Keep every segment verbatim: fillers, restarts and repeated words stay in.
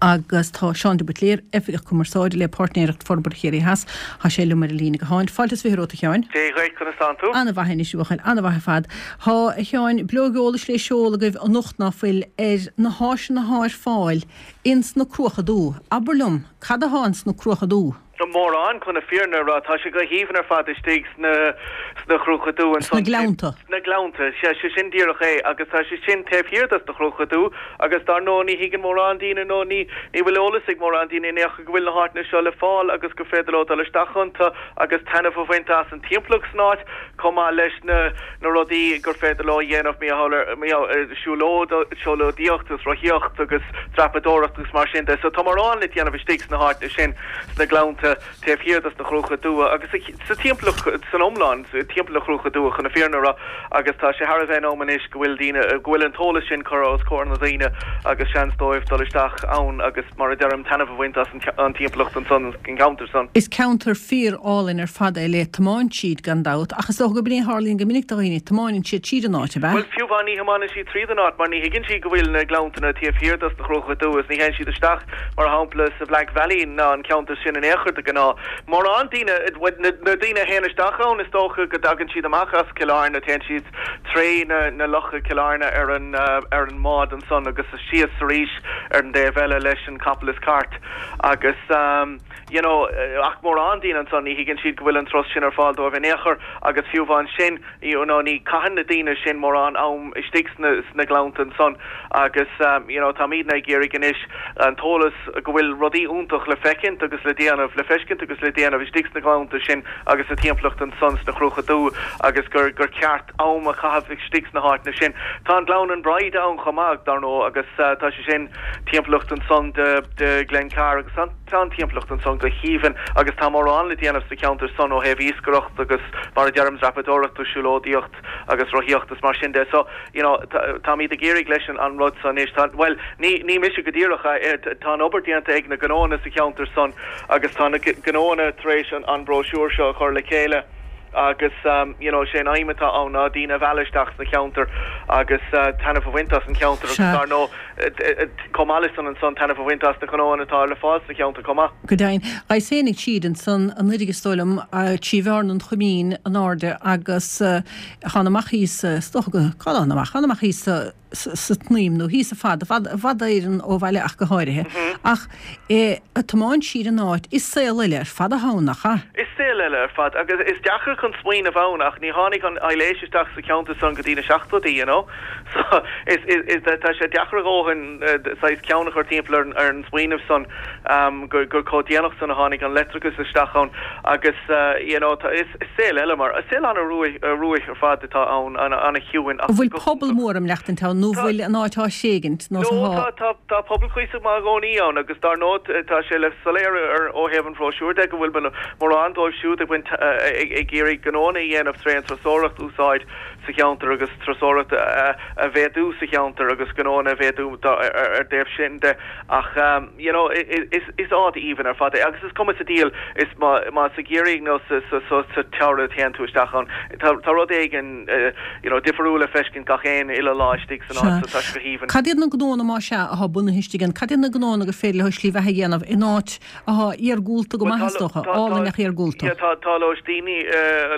Agus tá Seán de Buitléir, Oifigeach Cumarsáide le Páirtnéireacht Forbartha Chiarraí Theas, tá sé liom ar an líne gutháin. Fáilte is fiche romhat, a Sheáin. Dia dhuit, conas tánn tú? Ana-mhaith anois, a bhuachaill, ana-mhaith ar fad. Tá, a Sheáin, bileog eolais le seoladh agaibh anocht ná fuil ar na háiseanna athá ar fáil ins na Cruacha Dubha. Abair liom, cad athá ins na Cruacha Dubha? Mórán, chun na fírinne a rá. Tá sé go haoibhinn ar fad istigh sna sna Cruacha Dubha Sna ansan. Gleannta. Sna Gleannta, sea, sé sin díreach é agus tá sé sin taobh thiar dos na Cruacha Dubha agus dar ndóigh ní thuigeann mórán daoine nó ní ní bhfuil eolas ag mórán daoine in aon chor go bhfuil na háiteanna seo le fáil agus gur féidir leo dul isteach iontu agus taitneamh a bhaint as an timpeallacht san áit chomh maith leis na na rudaí gur féidir leo a dhéanamh mar siúlóid siúlóidíocht agus rothaíocht agus dreapadóireacht agus mar sin de. So tá mórán le déanamh istigh sna háiteanna sin sna Gleannta taobh thiar dos na Cruacha Dubha agus sa timpeallacht san iomlán, timpeall na Cruacha Dubha chun na fírinne a rá agus tá sé thar a bheith in am anois go bhfuil daoine, go bhfuil an t-eolas sin curtha os comhair na daoine agus seans dóibh dul isteach ann agus mar a deirim taitneamh a bhaint as an timpeallacht ansan, an ceantar san. Is ceantar fíor álainn ar fad é le tiomáint tríd gan dabht ach is dócha gurb in é a tharlaíonn go minic do dhaoine, tiomáineann siad tríd an áit, ab ea? Bhuel, fiú amháin ní thiomáineann siad tríd an áit mar ní thuigeann siad go bhfuil na Gleanntanna taobh thiar dos na Cruacha Dubha is ní théann siad isteach mar shampla sa Black Valley ná an ceantar sin in aon chor de ghnáth. Mórán daoine, na daoine a théann isteach ann is dócha go dtagann siad amach as Cill Airne, téann siad tré na na locha Cill Airne ar an ar an mbád ansan agus síos arís ar an dtaobh eile leis an capall is cairt agus you know ach mórán daoine ansan ní thuigeann siad go bhfuil an turas sin ar fáil dóibh in aon chor agus fiú amháin sin you know ní caitheann na daoine sin mórán am istigh sna sna Gleannta ansan agus you know táimidne ag iarraidh anois an t-eolas go bhfuil rudaí iontach le feicint agus le déanamh le feiscint agus le déanamh istigh sna Gleannta sin agus sa timpeallacht ansan sna Cruacha Dubha agus gur gur ceart am a chaitheamh istigh sna háiteanna sin. Tá an Gleann an Bride ann chomh maith dar ndóigh agus tá sé sin timpeallacht ansan de de Glencar agus an tá an timpeallacht ansan go haoibhinn agus tá mórán le déanamh sa cheantar san ó thaobh iascaireacht agus mar a deirim dreapadóireacht agus siúlóidíocht agus rothaíocht is mar sin de. So you know táimid ag iarraidh leis an an rud san anois tá bhuel ní ní mise go díreach tá an obair déanta ag na gnóanna sa cheantar san agus tá na gnóanna tar éis an an brochure seo a chur le chéile agus um, you know, sé an aidhm atá ann ná daoine a mhealladh isteach sna ceantar agus uh, taitneamh a bhaint as an cheantar agus dar ndóigh chomh maith leis san ansan taitneamh a bhaint as na gnóanna atá le fáil sa cheantar chomh maith. Go deimhin, agus tháinig siad ansan an uilig is dóigh liom trí Bhearna an Choimín in airde agus chan amach thíos stocha go cá amach chan amach thíos sa tSnaidhm nó thíos i bhfad i bhfad Éireann ó bhaile ach go háirithe. Ach a tiomáint siar an áit is saol eile ar fad atá ann nach ea? Is saol eile ar fad agus is deacair chun smaoineamh ann ach ní tháinig an aibhléis isteach sa cheantar san go dtí na seachtóidí, you know. So is is tá sé deacair a dhóthain saghas ceann a chur timpeall ar ar an smaoineamh san um, gur gur chomh déanach san a tháinig an leictreachas isteach ann agus uh, you know, tá, is, is saol eile mar saol an-ruaidh ar fad atá ann an-chiúin. An bhfuil pobal mór am leachtain ann nó bhfuil an áit á tréigint nó No tá tá pobal cuíosach maith i gcónaí ann agus dar ndóigh tá sé le soiléir ar ó thaobh an bhróisiúir de go bhfuil mórán dóibh siúd ag baint ag iarraidh gnónna a dhéanamh tré an turasóireacht úsáid sa cheantar agus turasóireacht a mhéadú sa cheantar agus gnónna a mhéadú ar dtaobh sin de ach um, you know, is, is áit aoibhinn ar fad é agus is cuma sa diabhal is má má sa gheimhreadh nó sa sa sa sa tsamhradh téann tú isteach ann tá tá rud éigin uh, you know, difriúil le feiscint gach aon uile lá istigh san áit so tá sé go haoibhinn. Cad iad na gnónna má sea atá bunaithe istigh ann, Cad iad na gnónna gur féidir leo slí bheatha a dhéanamh in áit atá iargúlta go maith is dócha, álainn ach iargúlta. Tá tá lóistíní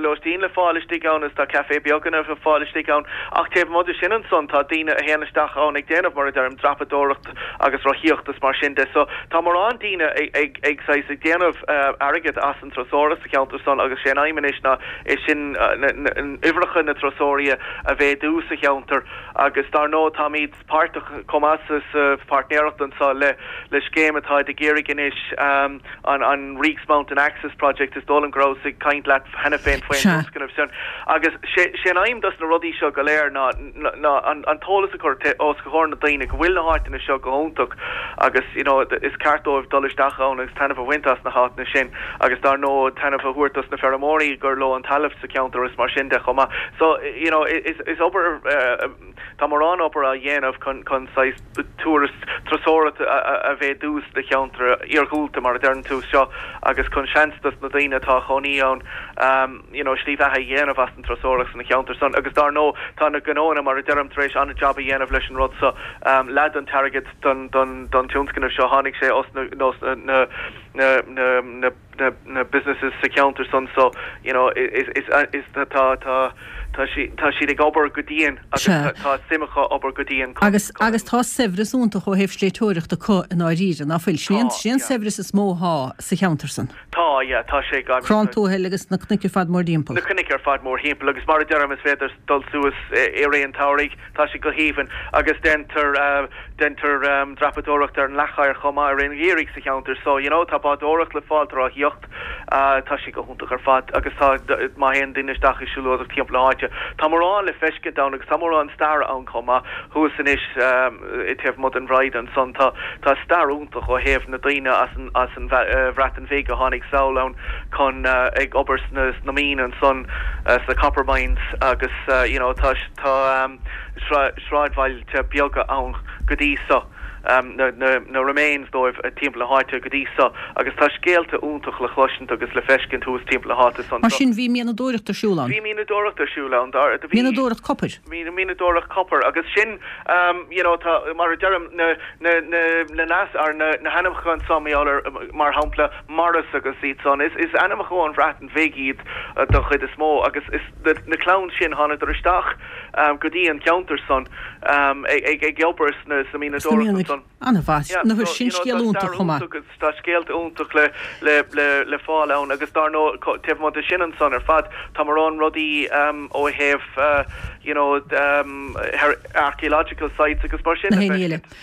lóistín le fáil istigh ann is tá café beaganna le fáil istigh ann ach taobh amuigh de sin ansan tá daoine a théann isteach ann ag déanamh mar a deirim dreapadóireacht agus rothaíocht is mar sin de so tá mórán daoine ag ag ag saghas ag déanamh uh, airgead as an turasóireacht sa cheantar san agus sé an aidhm anois ná é sin uimhreacha na turasóirí a mhéadú sa cheantar agus dar ndóigh táimid páirteach chomh maith sa pháirtnéireacht anseo le le scéim atá ag iarraidh anois um, an an Reeks Mountain Access Project is dóigh liom go raibh ag caint leat cheana féin faoin tionscnamh sin agus sé sé an aidhm dos na rudaí seo go léir ná ná an, an t-eolas a chur os comhair na daoine go bhfuil na háiteanna seo go hiontach agus you know, is ceart dóibh dul isteach ann agus taitneamh a bhaint as na háiteanna sin agus dar ndóigh taitneamh a thabhairt dos na feirmeoirí gur leo an talamh sa cheantar is mar sin de chomh maith. So you know, is, is obair uh, tá mórán obair á dhéanamh chun chun saghas turas turasóireacht a mhéadú sna ceantar iargúlta mar a deireann tú seo agus chun seans dos na daoine atá chónaí ann um, you know, slí bheatha a dhéanamh as an turasóireacht sna ceantar san. san agus dar ndóigh tá na gnóanna mar a deirim tar éis an-jab a dhéanamh leis an rud so um, leath den t-airgead don don don tionscnamh seo tháinig sé os na na na na na na na na businesses sa cheantar san so you know is is is tá tá tá si tá siad ag obair go dian agus tá suim acu obair go dian agus agus tá saibhreas iontach ó thaobh sléibhteoireachta acu i ndáiríre nach bhfuil sin sin saibhreas is mó atá sa cheantar san. Tá yeah, tá sé gan Crann Tuathail agus na cnoic ar fad mórthimpeall. Na cnoic ar fad mórthimpeall agus mar a deirim is féidir dul suas i rith an tsamhraidh tá sé go haoibhinn agus déantar uh, déantar um, dreapadóireacht ar an Leathchoir chomh maith ar an gheimhreadh sa cheantar so you know tá bádóireacht le fáil ráthaíocht uh, tá sé go hiontach ar fad agus tá má théann duine isteach i siúlóireacht timpeall na háite. Tá mórán le feiscint ann agus tá mórán stair ann chomh maith thuas anois um, i taobh amuigh den Bhrighde ansan tá tá stair iontach ó thaobh na daoine as an as an uh, Bhreatain Bheag a tháinig sall ann chun uh, ag obair sna na mine ansan uh, sa copper mines agus uh, you know tá tá um, sráidbhailte beaga ann go dtí so. Um, na, na, na remains dóibh timpeall na háite go dtí so agus tá scéalta iontach le chloisint agus le feiscint thuas timpeall na háite san. Mar sin bhí mianadóireacht ar siúl ann. Bhí mianadóireacht ar siúl ann dar Mianadóireacht copair. Mí mianadóireacht copper agus sin um, you know, tá mar a deirim na na na na nas ar na na hainmneacha ansan mar shampla Morris agus iad san is is ainmneacha ón Bhreatain Bheag iad uh, don chuid is mó agus is na, na clann sin thánadar isteach um, go dtí an ceantar san um, ag ag ag obair sna sa mianadóireacht san. An-mhaith na sin scéal iontach chomh maith. Tá scéalta iontach le le le le fáil ann agus dar ndóigh taobh amuigh de sin ansan ar fad tá mórán rudaí um, ó thaobh uh, you know um, archaeological sites agus mar sin.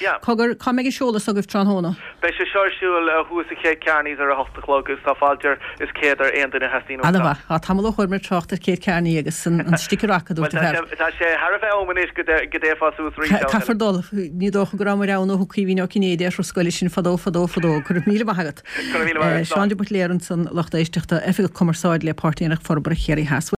Yeah. Cogar cá mbeidh an seoladh agaibh tráthnóna. Beidh sé seo ar siúl uh, thuas i Céad Kearney's ar a hocht a chlog agus tá fáilte is céad ar aon duine theastaíonn. An-mhaith tá tamall ó chuir mé trácht ar Céad Kearney agus an sticker acu Tá sé thar a bheith am anois go dtéifeá suas rí. Caithfear dul ní dócha go raibh mé ann ó thug Caoimhín Ó Cinnéide ar scoil sin fadó fadó fadó go raibh míle maith agat. Seán de Buitléar ansan lucht éisteachta Oifigeach Cumarsáide le Páirtí Aonach Forbartha Chiarraí Theas.